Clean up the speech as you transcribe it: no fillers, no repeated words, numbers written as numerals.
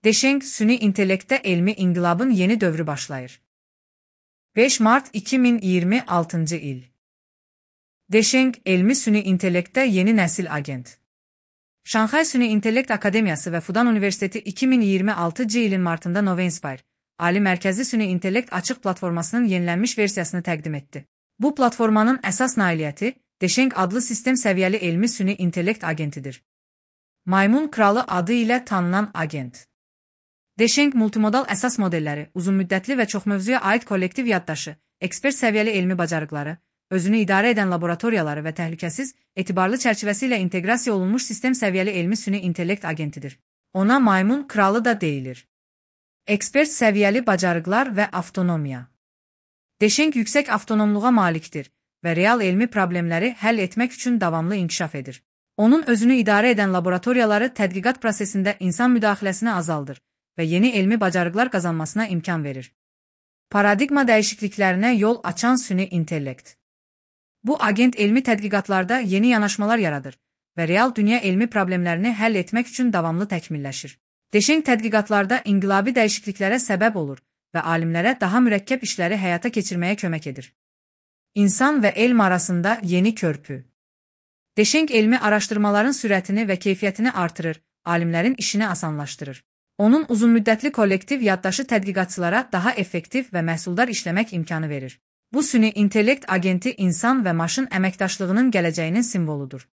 Deşeng süni intellektdə elmi inqilabın yeni dövrü başlayır. 5 Mart 2026 il. Deşeng elmi süni intellektdə yeni nəsil agent. Şanxay Süni İntellekt Akademiyası və Fudan Universiteti 2026 ilin martında Novenspire, Ali Mərkəzi Süni İntellekt açıq platformasının yenilənmiş versiyasını təqdim etdi. Bu platformanın əsas nailiyyəti Deşeng adlı sistem səviyyəli elmi süni intellekt agentidir. Maymun kralı adı ilə tanınan agent. Deşeng multimodal əsas modelləri, uzunmüddətli və çoxmövzuya aid kollektiv yaddaşı, ekspert səviyyəli elmi bacarıqları, özünü idarə edən laboratoriyaları və təhlükəsiz, etibarlı çərçivəsi ilə inteqrasiya olunmuş sistem səviyyəli elmi süni intellekt agentidir. Ona maymun kralı da deyilir. Ekspert səviyyəli bacarıqlar və avtonomiya. Deşeng yüksək avtonomluğa malikdir və real elmi problemləri həll etmək üçün davamlı inkişaf edir. Onun özünü idarə edən laboratoriyaları tədqiqat prosesində insan müdaxiləsini azaldır və yeni elmi bacarıqlar qazanmasına imkan verir. Paradigma dəyişikliklərinə yol açan süni intellekt. Bu agent elmi tədqiqatlarda yeni yanaşmalar yaradır və real dünya elmi problemlərini həll etmək üçün davamlı təkmilləşir. Deşeng tədqiqatlarda inqilabi dəyişikliklərə səbəb olur və alimlərə daha mürəkkəb işləri həyata keçirməyə kömək edir. İnsan və elm arasında yeni körpü. Deşeng elmi araşdırmaların sürətini və keyfiyyətini artırır, alimlərin işini asanlaşdırır. Onun uzunmüddətli kollektiv yaddaşı tədqiqatçılara daha effektiv və məhsuldar işləmək imkanı verir. Bu süni intellekt agenti insan və maşın əməkdaşlığının gələcəyinin simvoludur.